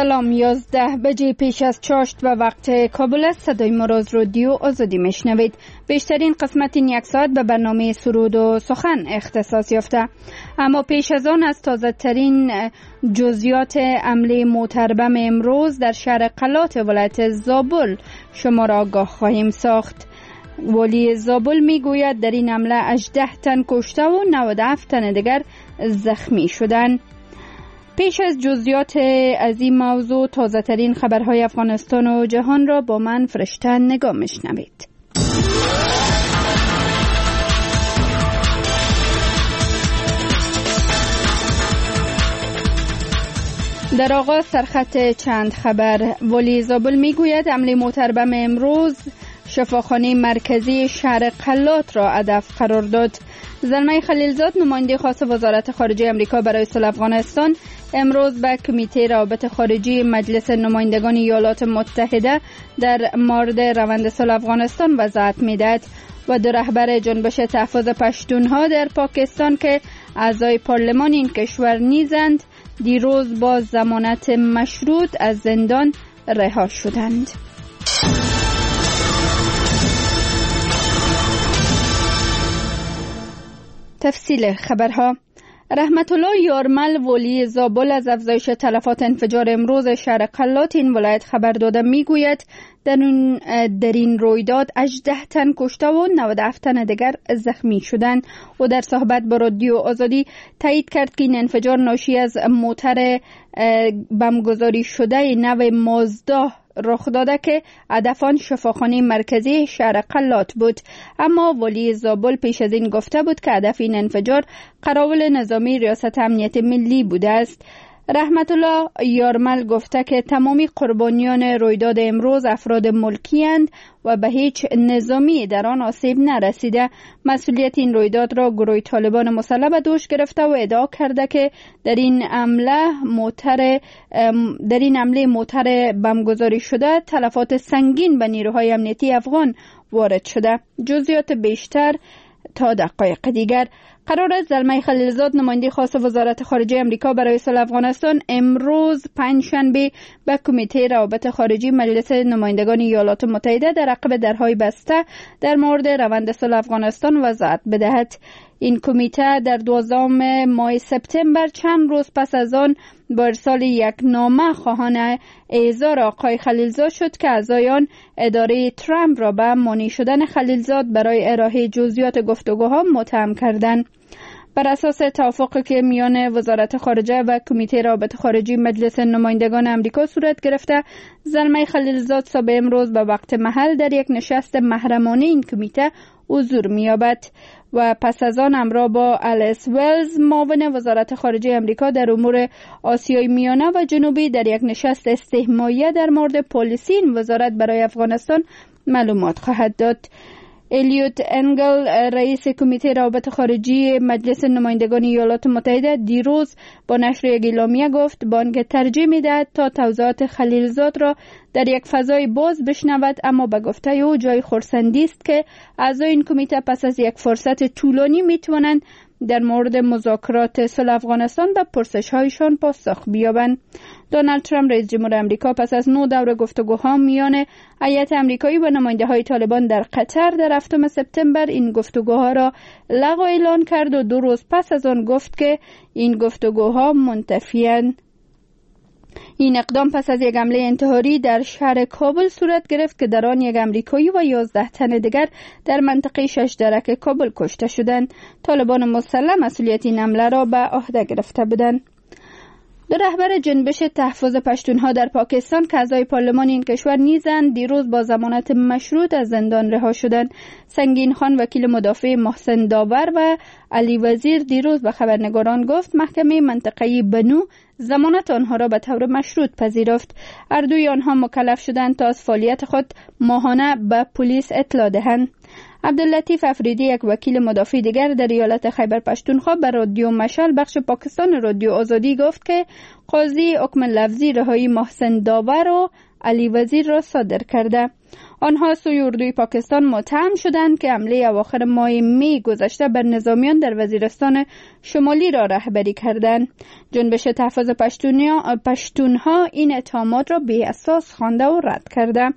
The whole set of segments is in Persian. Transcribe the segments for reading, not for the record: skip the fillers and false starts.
سلام، 11 بجه پیش از چاشت و وقت کابل است. صدای ما را از رادیو آزادی میشنوید. بیشترین قسمت این یک ساعت به برنامه سرود و سخن اختصاص یافته، اما پیش از آن از تازه ترین جزئیات حمله موتربم امروز در شهر قلات ولایت زابل شما را آگاه خواهیم ساخت. والی زابل میگوید در این حمله 18 تن کشته و 97 تن دیگر زخمی شدند. پیش از جزئیات از این موضوع، تازه ترین خبرهای افغانستان و جهان را با من فرشته نگاه میشنوید. در آغاز سرخط چند خبر. والی زابل میگوید حمله موتربم امروز شفاخانه مرکزی شهر قلات را هدف قرار داد. زلمی خلیلزاد، نماینده خاص وزارت خارجه امریکا برای صلح افغانستان، امروز به کمیته روابط خارجی مجلس نمایندگان ایالات متحده در مورد روند صلح افغانستان وضاحت میدهد. و دو رهبر جنبش تحفظ پشتونها در پاکستان که اعضای پارلمان این کشور نیزند، دیروز با ضمانت مشروط از زندان رها شدند. تفصیل خبرها. رحمت الله یارمل، ولی زابل، از افزایش تلفات انفجار امروز شهر قلات این ولایت خبر داده میگوید در این رویداد 18 تن کشته و 97 تن دیگر زخمی شدند. و در صحبت با رادیو آزادی تایید کرد که این انفجار ناشی از موتر بمگذاری شده نو مازدا رخ داده که هدف آن شفاخانه مرکزی شهر قلات بود. اما والی زابل پیش از این گفته بود که هدف این انفجار قراول نظامی ریاست امنیت ملی بوده است. رحمت الله یارمل گفته که تمامی قربانیان رویداد امروز افراد ملکی اند و به هیچ نظامی در آن آسیب نرسیده. مسئولیت این رویداد را گروه طالبان مسلح به دوش گرفته و ادعا کرده که در این حمله موتر بمگذاری شده تلفات سنگین به نیروهای امنیتی افغان وارد شده. جزئیات بیشتر تا دقایق دیگر. قرار است زلمی خلیلزاد، نماینده خاص وزارت خارجه امریکا برای صلح افغانستان، امروز پنجشنبه به کمیته روابط خارجی مجلس نمایندگان ایالات متحده در عقب درهای بسته در مورد روند صلح افغانستان وضاحت بدهد. این کمیته در 12 ماه سپتامبر، چند روز پس از آن، با ارسال یک نامه خواهان اعزار آقای خلیلزاد شد که اعضای آن اداره ترامپ را به مانع شدن خلیلزاد برای ارائه جزئیات گفتگوها متهم کردند. بر اساس توافقی که میان وزارت خارجه و کمیته روابط خارجی مجلس نمایندگان امریکا صورت گرفته، زلمی خلیلزاد صبح امروز به وقت محل در یک نشست محرمانه این کمیته حضور می‌یابد و پس از آن همراه با الیس ولز، معاون وزارت خارجه امریکا در امور آسیای میانه و جنوبی، در یک نشست استهمایه در مورد پالیسی این وزارت برای افغانستان معلومات خواهد داد. الیوت انگل، رئیس کمیته روابط خارجی مجلس نمایندگان ایالات متحده، دیروز با نشر یک اعلامیه گفت بانک ترجیح می‌دهد تا توضیحات خلیلزاد را در یک فضای باز بشنود، اما به گفته او جای خرسندی است که اعضای این کمیته پس از یک فرصت طولانی می‌توانند در مورد مذاکرات صلح افغانستان به پرسش‌هایشان پاسخ بیابند. دونالد ترامپ، رئیس جمهور امریکا، پس از 9 دور گفتگوها میان هیئت امریکایی و نماینده‌های طالبان در قطر در 7 سپتامبر این گفتگوها را لغو اعلان کرد و 2 روز پس از آن گفت که این گفتگوها منتفی‌اند. این اقدام پس از یک حمله انتحاری در شهر کابل صورت گرفت که در آن یک امریکایی و 11 تن دیگر در منطقه 6 درک کابل کشته شدند. طالبان مسلح مسئولیت این حمله را به عهده گرفته بودند. دو رهبر جنبش تحفظ پشتونها در پاکستان که اعضای پارلمان این کشور نیزند، دیروز با ضمانت مشروط از زندان رها شدند. سنگین خان، وکیل مدافع محسن داور و علی وزیر، دیروز به خبرنگاران گفت محکمه منطقه‌ای بنو ضمانت آنها را به طور مشروط پذیرفت. هر دوی آنها مکلف شدند تا از فعالیت خود ماهانه به پلیس اطلاع دهند. عبداللطیف افریدی، یک وکیل مدافع دیگر در ایالت خیبر پشتونخوا، به رادیو مشال بخش پاکستان رادیو آزادی گفت که قاضی حکم لفظی رهایی محسن داور و علی وزیر را صادر کرده. آنها سوی اردوی پاکستان متهم شدند که حمله اواخر ماه می گذشته بر نظامیان در وزیرستان شمالی را رهبری کردند. جنبش تحفظ پشتونها این اتهامات را بی اساس خوانده و رد کرده.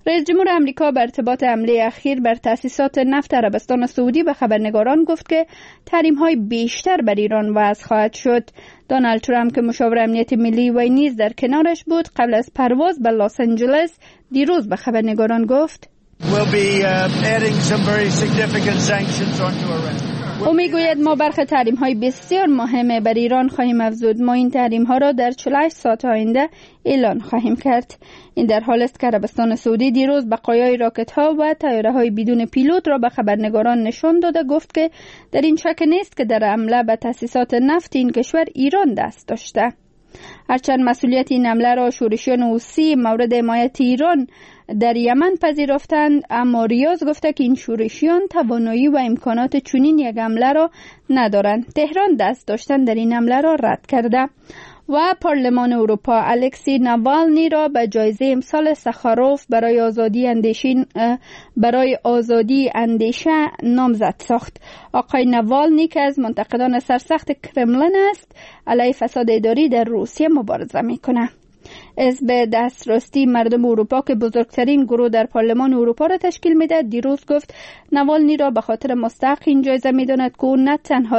رئیس جمهور امریکا بر ارتباط حمله اخیر بر تأسیسات نفت عربستان سعودی به خبرنگاران گفت که تحریم‌های بیشتر بر ایران وضع خواهد شد. دونالد ترامپ که مشاور امنیت ملی وی نیز در کنارش بود، قبل از پرواز به لس آنجلس دیروز به خبرنگاران گفت: او میگوید ما برخی تحریم های بسیار مهم بر ایران خواهیم افزود. ما این تحریم ها را در 48 ساعت آینده اعلان خواهیم کرد. این در حال است که عربستان سعودی دیروز بقایای راکت ها و طیاره های بدون پیلوت را به خبرنگاران نشان داده، گفت که در این شک نیست که در حمله به تأسیسات نفت این کشور ایران دست داشته. هرچند مسئولیت این حمله را شورشیان حوثی مورد حمایت ایران در یمن پذیرفتند، اما ریاض گفته که این شورشیان توانایی و امکانات چنین یک حمله را ندارند. تهران دست داشتن در این حمله را رد کرده. و پارلمان اروپا الکسی ناوالنی را به جایزه امسال سخاروف برای آزادی اندیشه نامزد ساخت. آقای ناوالنی که از منتقدان سرسخت کرملین است، علیه فساد اداری در روسیه مبارزه میکنه. حزب دستراستی مردم اروپا که بزرگترین گروه در پارلمان اروپا را تشکیل میدهد، دیروز گفت ناوالنی را به خاطر مستحق این جایزه میداند که او نه تنها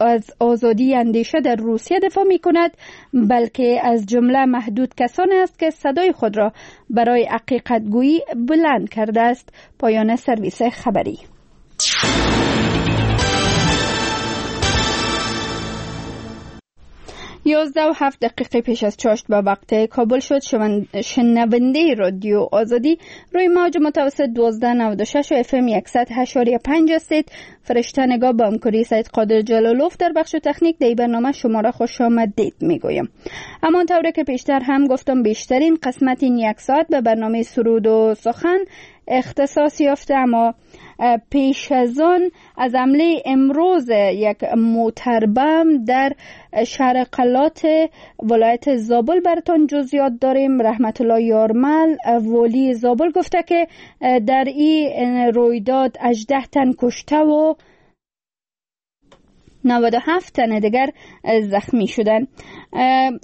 از آزادی اندیشه در روسیه دفاع میکند، بلکه از جمله محدود کسانی است که صدای خود را برای حقیقت گویی بلند کرده است. پایان سرویس خبری. 11:07 پیش از چاشت به وقت کابل شد. شنونده رادیو آزادی روی موج متوسط 1296 و FM 108.5 هستید. فرشته نگاه با همکاری سید قادر جلالوف در بخش تکنیک در برنامه شما را خوش آمدید میگویم. همان طوری که پیشتر هم گفتم، بیشترین قسمت این یک ساعت به برنامه سرود و سخن اختصاص یافته، اما پیش از آن از حمله امروز یک موتربم در شهر قلات ولایت زابل براتون جزئیات داریم. رحمت الله یارمل والی زابل گفته که در این رویداد 18 تن کشته و 97 تن دیگر زخمی شدند.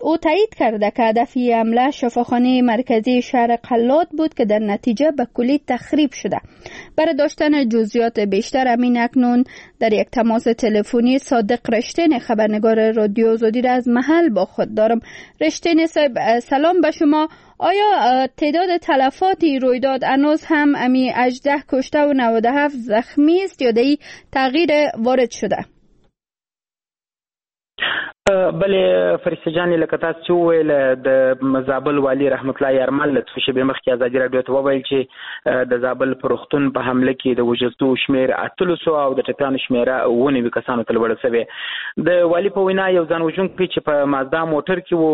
او تایید کرده که هدف حمله شفاخانه مرکزی شهر قلات بود که در نتیجه به کلی تخریب شده. برای داشتن جزئیات بیشتر امین اکنون در یک تماس تلفنی صادق رشتین خبرنگار رادیو آزادی را از محل با خود دارم. رشتین صاحب، سلام به شما. آیا تعداد تلفات رویداد هنوز هم امی 18 کشته و 97 زخمی است یا در تغییر وارد شده؟ بله فرشته جان، لکه تاسو چې وویل د زابل والي رحمت الله یارمل څو شېبې مخکې ازادي راډیو ته وویل چې د زابل پر روغتون په حمله کې د وژل شوو شمېر 18 او د ټپیانو شمېره 97 کسانو ته لوړه شوې. د والي په وینا یو ځان وژونکی چې په مازدا موټر کې و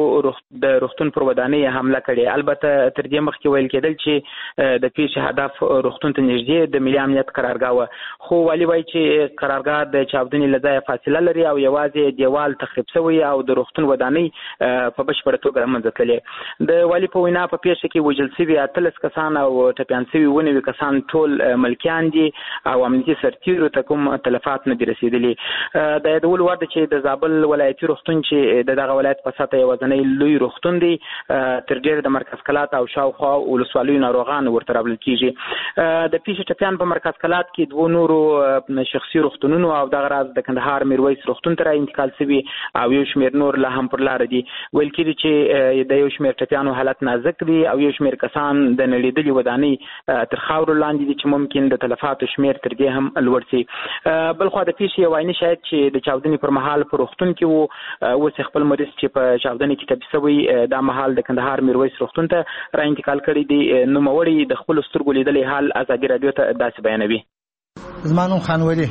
د روغتون پر ودانۍ حمله کړې. البته تر دې مخکې ویل کېدل چې د پېښې هدف روغتون ته نږدې د ملي امنیت قرارګاه وه، خو والي وایي چې قرارګاه د چاودنې له ځایه فاصله لري او یوازې دیوال تخریب شوی او د روغتون ودانۍ په بشپړه توګه له منځه تللې. د والي په وینا په پېښه کې وژل شوي 18 کسان او ټپیان شوي 99 کسان ټول ملکیان دي او امنیتي سرتیرو ته کوم تلفات نه دي رسېدلي. د یادولو وړ ده چې د زابل ولایتي روغتون چې د دغه ولایت په سطح یوازنی لوی روغتون دی، تر ډېره د مرکز کلات او شاوخوا ولسوالیو ناروغان ورته راوړل کېږي. د پېښې ټپیان په مرکز کلات کې دوو نورو شخصي روغتونونو او دغه راز د کندهار میرویس روغتون ته را انتقال شوي او یو شمېر نور لا هم پر لاره دي. ویل کېږي چې د یو شمېر ټپیانو حالت نازک دی او یو شمېر کسان د نړېدلې ودانۍ تر خاورو لاندې دي چې ممکن د تلفاتو شمېر تر دې هم لوړ شي. بلخوا د پېښې یو عیني شاهد چې د چاودنې پر مهال په روغتون کې و، اوس یې خپل مریض چې په چاودنې کې ټپي شوی دا مهال د کندهار میرویس روغتون ته را انتقال کړی دی. نوموړی د خپلو سترګو لیدلی حال ازادي راډیو ته داسې بیانوي. زما نوم خان ولي،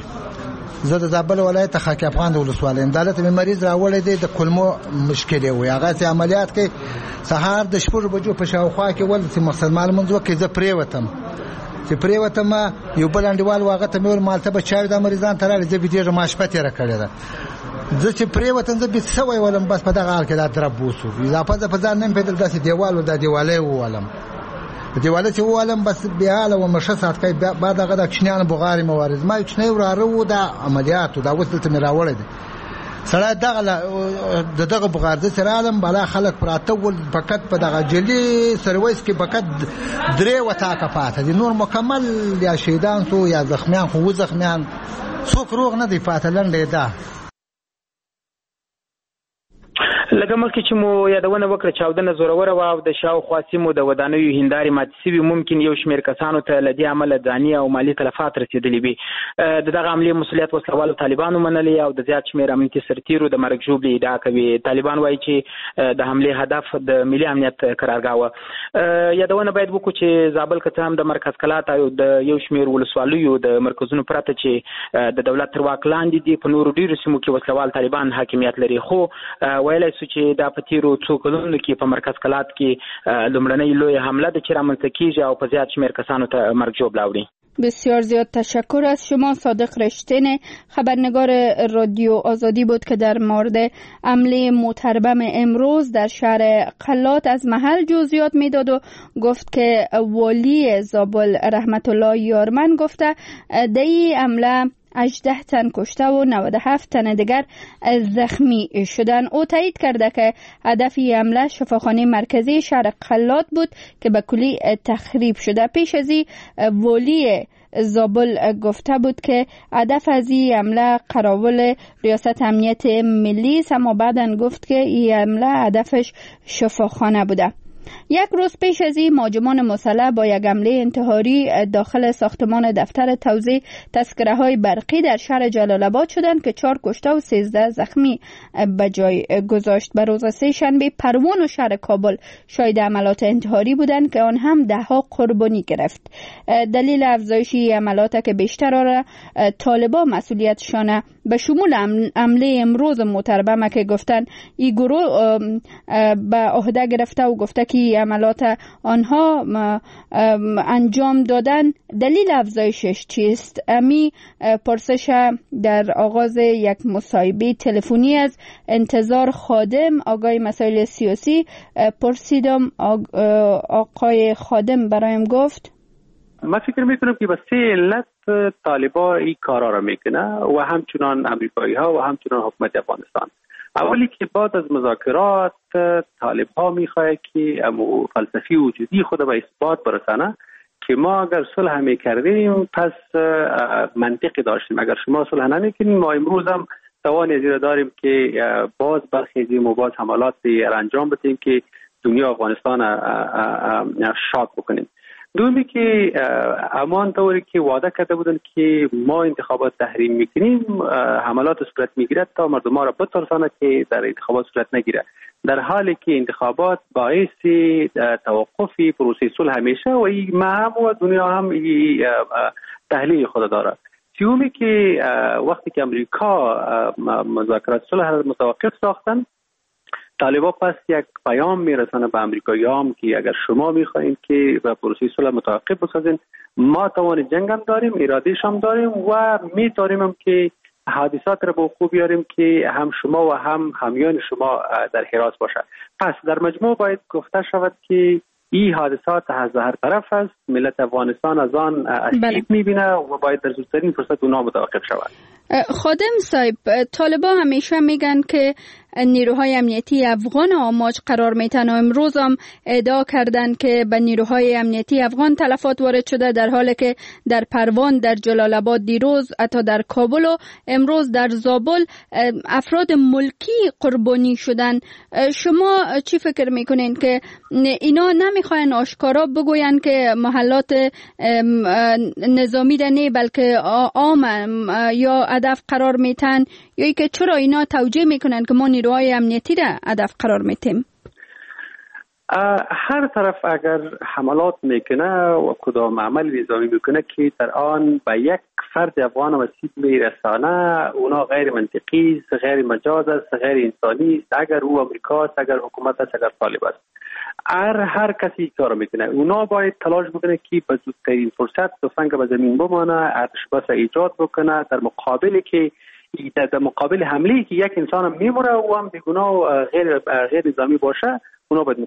زه د زابل ولایت خاک افغان د ولسوالۍ یم. دلته مې مریض راوړی دی، د کولمو مشکل یې و، هغه چې عملیات کوي سهار د 6 بجو په شاوخوا کې ول چې مسلمان لمونځ وکړي. زه پرېوتم، چې پرېوتم یو بل انډیوال و، هغه ته مې وویل مالته به چای دا مریضان ته راغلي، زه بېدېږم، ما شپه تېره کړې ده. زه چې پرېوتم زه بیت سوی ولم، بس په دغه حال کې دا درب وسو، اضافه زه په ځان نه یم پوهېدل، داسې دیوال و، دا دیوالی وولم. دیواله چې ووالم بس بېحاله وم، ښه ساعت کوي. بعد هغه د کوچنیانو بغارې مې وارې، زما یو کوچنی وراره و، دا عملیات و، دا اوس دلته مې راوړی دی. سړی دغه د دغه بغار زه چې رالم بالا خلک پراته ول، فقط په دغه جلي سرویس کې فقط 3 وطاقه پاته دي، نور مکمل یا شهیدان سو یا زخمیان، خو و زخمیان څوک روغ نه دی پاته. لنډه یې دا. لکه مخکې چې مو یادونه وکړه، چاودنه زوروره وه او د شاوخوا سیمو د ودانیو هندارې ماتې شوي. ممکن یو شمېر کسانو ته له دې امله ځاني او مالي تلفات رسېدلي وي. د دغه حملې مسؤلیت وسلهوالو طالبانو منلی او د زیات شمېر امنیتي سرتیرو د مرګ ژوبلې ادعا کوي. طالبان وایي چې د حملې هدف د ملي امنیت قرارګاه وه. یادونه باید وکړو چې زابل که څه هم د مرکز کلات او د یو شمېر ولسوالیو د مرکزونو پرته چې د دولت تر واک لاندې دي، په نورو ډېرو سیمو کې وسلهوال طالبان حاکمیت لري، خو ویلی شو چې دا په تیرو څو کلونو کې په مرکز کلات کې لومړنۍ لویه حمله ده چې رامنځته کیږي او په زیات شمېر کسانو ته مرګ ژوبله اوړي. بسیار زیاد تشکر از شما. صادق رشتین، خبرنگار رادیو آزادی بود که در مورد حمله موتربم امروز در شهر قلات از محل جزئیات میداد و گفت که والی زابل رحمت الله یارمن گفته در این حمله 18 تن کشته و 97 تن دیگر زخمی شدن. او تایید کرده که هدف حمله شفاخانه مرکزی شهر قلات بود که به کلی تخریب شده. پیش از این والی زابل گفته بود که هدف از این حمله قراول ریاست امنیت ملی است، اما بعدا گفت که این حمله هدفش شفاخانه بوده. یک روز پیش از این مهاجمان مسلح با یک حمله انتحاری داخل ساختمان دفتر توزیع تذکره های برقی در شهر جلال آباد شدند که 4 کشته و 13 زخمی به جای گذاشت. به روز سه شنبه پروان و شهر کابل شاهد عملات انتحاری بودند که آن هم ده ها قربانی گرفت. دلیل افزایش عملات که بیشتر را طالبان مسئولیتشان به شمول حمله امروز موتربمه که گفتن این گروه به عهده گرفته و گفته که عملات آنها انجام دادن، دلیل افزایشش چیست؟ امی پرسش در آغاز یک مصاحبه تلفنی از انتظار خادم، آگاه مسائل سیاسی، پرسیدم. آقای خادم برایم گفت من فکر میکنم که به سه علت طالبا این کارا را میکنه و همچنان امریکایی ها و همچنان حکومت افغانستان. اولی که بعد از مذاکرات طالب ها میخواه که امو فلسفی وجودی خود به اثبات برسانه که ما اگر صلح میکردیم پس منطقی داشتیم، اگر شما صلح نمیکنیم ما امروز هم توان ازی را داریم که باز برخیزیم و باز حملات را انجام بدیم که دنیا افغانستان شاک بکنیم. دومی که امان طوری که وعده کرده بودن که ما انتخابات تحریم میکنیم، حملات صورت میگیرد تا مردم را بترسانه که در انتخابات صورت نگیره، در حالی که انتخابات باعث توقف پروسه صلح همیشه و این هم و دنیا هم تحلیل خود داره. سومی که وقتی که امریکا مذاکرات صلح را متوقف ساختن، طالبا پس یک پیام میرسانه به امریکایی‌ها که اگر شما میخواهید که به پروسه صلح متوقف بسازین، ما توان جنگ هم داریم، ارادهش هم داریم و میتونیم هم که حادثات را به وقوع بیاریم که هم شما و هم همیان شما در حراس باشه. پس در مجموع باید گفته شود که این حادثات از هر طرف است، ملت افغانستان از آن آسیب میبینه و باید در زودترین فرصت اونا متوقف شود. خادم صاحب، طالبا همیشه میگن که نیروهای امنیتی افغان آماج قرار میتن و امروز هم ادعا کردن که به نیروهای امنیتی افغان تلفات وارد شده، در حالی که در پروان، در جلال آباد دیروز، حتی در کابل و امروز در زابل افراد ملکی قربانی شدن. شما چی فکر میکنین که اینا نمیخواین آشکارا بگوین که محلات نظامی ده نه بلکه عام یا هدف قرار میتن، یا ای که چرا اینا توجیه میکنن که ما نیروهای امنیتی را هدف قرار میتیم؟ هر طرف اگر حملات میکنه و کدام عمل نظامی میکنه که در آن به یک فرد افغان آسیب میرسانه، اونا غیر منطقی است، غیر مجاز است، غیر انسانی است، اگر او امریکا است، اگر حکومت است، اگر طالب است، هر کسی کار میکنه، اونا باید تلاش بکنه که به زودترین فرصت تفنگ به زمین بمانه، ارتش بس ایجاد بکنه در مقابل که در مقابل حمله که یک انسان میموره و هم بیگناه و غیر نظامی باشه، اونا باید